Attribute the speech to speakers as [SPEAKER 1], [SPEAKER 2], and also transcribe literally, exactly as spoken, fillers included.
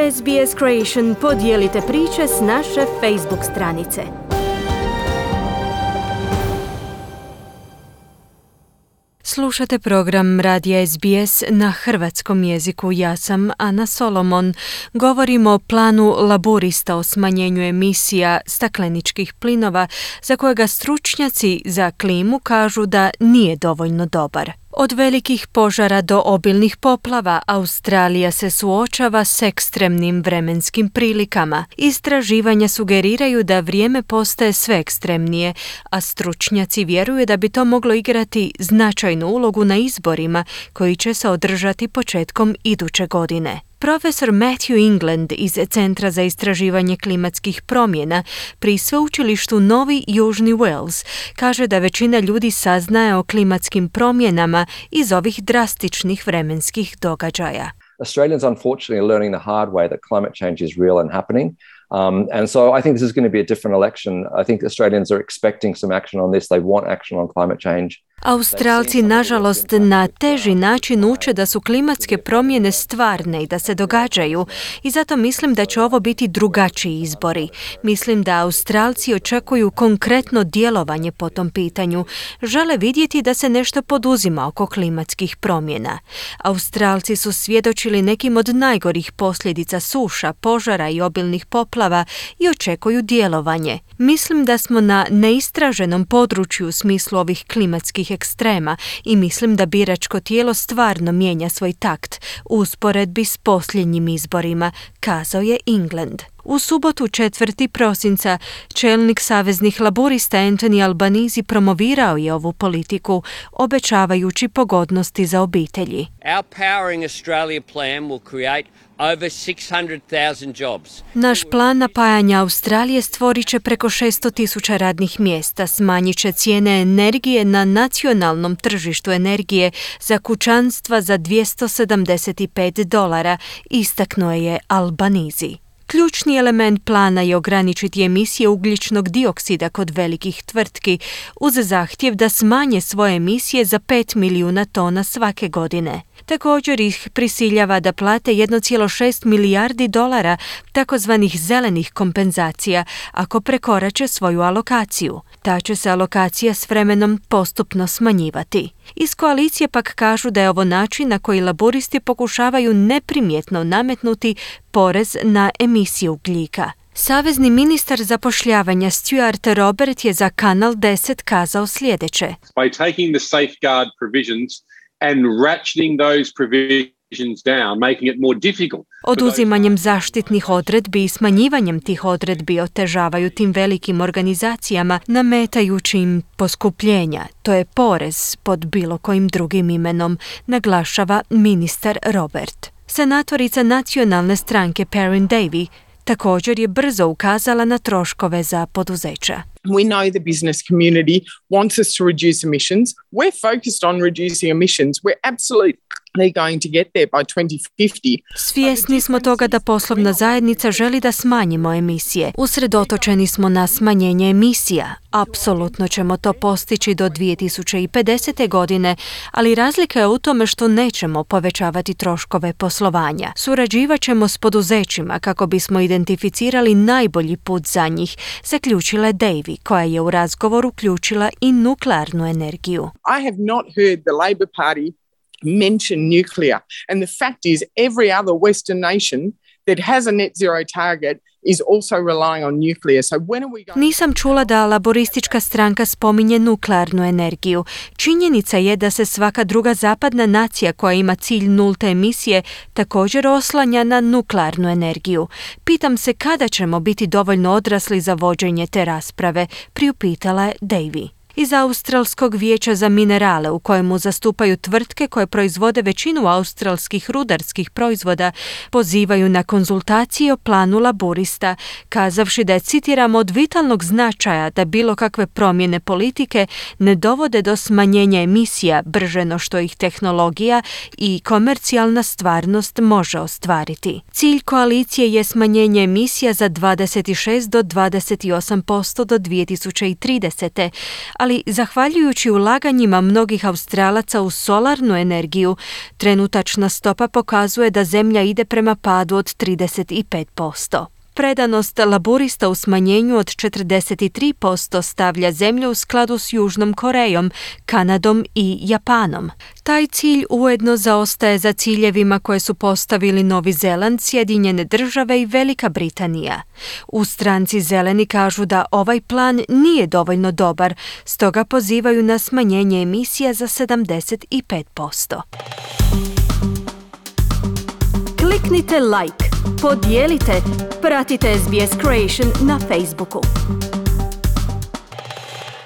[SPEAKER 1] S B S Creation podijelite priče s naše Facebook stranice. Slušate program Radija S B S na hrvatskom jeziku. Ja sam Ana Solomon. Govorimo o planu Laburista o smanjenju emisija stakleničkih plinova za kojega stručnjaci za klimu kažu da nije dovoljno dobar. Od velikih požara do obilnih poplava, Australija se suočava s ekstremnim vremenskim prilikama. Istraživanja sugeriraju da vrijeme postaje sve ekstremnije, a stručnjaci vjeruju da bi to moglo igrati značajnu ulogu na izborima koji će se održati početkom iduće godine. Profesor Matthew England iz Centra za istraživanje klimatskih promjena pri sveučilištu Novi Južni Wales kaže da većina ljudi saznaje o klimatskim promjenama iz ovih drastičnih vremenskih događaja.
[SPEAKER 2] Australians unfortunately are learning the hard way that climate change is real and happening. Um, and so I think this is going to be a different election. I think Australians are expecting some action on this. They want action on climate change.
[SPEAKER 1] Australci, nažalost, na teži način uče da su klimatske promjene stvarne i da se događaju i zato mislim da će ovo biti drugačiji izbori. Mislim da Australci očekuju konkretno djelovanje po tom pitanju. Žele vidjeti da se nešto poduzima oko klimatskih promjena. Australci su svjedočili nekim od najgorih posljedica suša, požara i obilnih poplava i očekuju djelovanje. Mislim da smo na neistraženom području u smislu ovih klimatskih ekstrema i mislim da biračko tijelo stvarno mijenja svoj takt u usporedbi s posljednjim izborima, kazao je England. U subotu četvrtog prosinca čelnik saveznih laburista Anthony Albanese promovirao je ovu politiku, obećavajući pogodnosti za obitelji.
[SPEAKER 3] Our Powering Australia plan will create over six hundred thousand jobs.
[SPEAKER 1] Naš plan napajanja Australije stvorit će preko šesto tisuća radnih mjesta, smanjit će cijene energije na nacionalnom tržištu energije za kućanstva za dvjesto sedamdeset pet dolara, istaknuo je Albanese. Ključni element plana je ograničiti emisije ugljičnog dioksida kod velikih tvrtki uz zahtjev da smanje svoje emisije za pet milijuna tona svake godine. Također ih prisiljava da plate jedan zarez šest milijardi dolara takozvanih zelenih kompenzacija ako prekorače svoju alokaciju. Ta će se alokacija s vremenom postupno smanjivati. Iz koalicije pak kažu da je ovo način na koji laburisti pokušavaju neprimjetno nametnuti porez na emisiju ugljika. Savezni ministar zapošljavanja Stuart Robert je za Kanal deset kazao sljedeće.
[SPEAKER 4] By taking the safeguard provisions and ratcheting those provisions down, making it more difficult.
[SPEAKER 1] Oduzimanjem zaštitnih odredbi i smanjivanjem tih odredbi otežavaju tim velikim organizacijama, nametajući im poskupljenja. To je porez pod bilo kojim drugim imenom, naglašava ministar Robert. Senatorica nacionalne stranke Perrin Davy također je brzo ukazala na troškove za poduzeća.
[SPEAKER 5] We know the business community wants us to reduce emissions. We're focused on reducing emissions. We're absolutely going to get there by twenty fifty.
[SPEAKER 1] Svjesni smo toga da poslovna zajednica želi da smanjimo emisije. Usredotočeni smo na smanjenje emisija. Apsolutno ćemo to postići do dvije tisuće pedesete. godine, ali razlika je u tome što nećemo povećavati troškove poslovanja. Surađivat ćemo s poduzećima kako bismo identificirali najbolji put za njih, zaključila je Davy, koja je u razgovor uključila i nuklearnu energiju.
[SPEAKER 5] I have not heard the Labor Party mention nuclear, and the fact is every other Western nation that has a net zero target is also relying on nuclear. So when are we going...
[SPEAKER 1] Nisam čula da laboristička stranka spominje nuklearnu energiju. Činjenica je da se svaka druga zapadna nacija koja ima cilj nulte emisije također oslanja na nuklearnu energiju. Pitam se kada ćemo biti dovoljno odrasli za vođenje te rasprave, priupitala je Davy. Iz Australskog vijeća za minerale, u kojemu zastupaju tvrtke koje proizvode većinu australskih rudarskih proizvoda, pozivaju na konzultacije o planu laburista, kazavši da je, citiram, od vitalnog značaja da bilo kakve promjene politike ne dovode do smanjenja emisija brže no što ih tehnologija i komercijalna stvarnost može ostvariti. Cilj koalicije je smanjenje emisija za dvadeset šest do dvadeset osam posto do dvije tisuće tridesete. ali zahvaljujući ulaganjima mnogih Australaca u solarnu energiju, trenutačna stopa pokazuje da zemlja ide prema padu od trideset pet posto. Predanost laburista u smanjenju od četrdeset tri posto stavlja zemlju u skladu s Južnom Korejom, Kanadom i Japanom. Taj cilj ujedno zaostaje za ciljevima koje su postavili Novi Zeland, Sjedinjene Države i Velika Britanija. U stranci Zeleni kažu da ovaj plan nije dovoljno dobar, stoga pozivaju na smanjenje emisija za sedamdeset pet posto. Kliknite like, podijelite, pratite S B S Creation na Facebooku.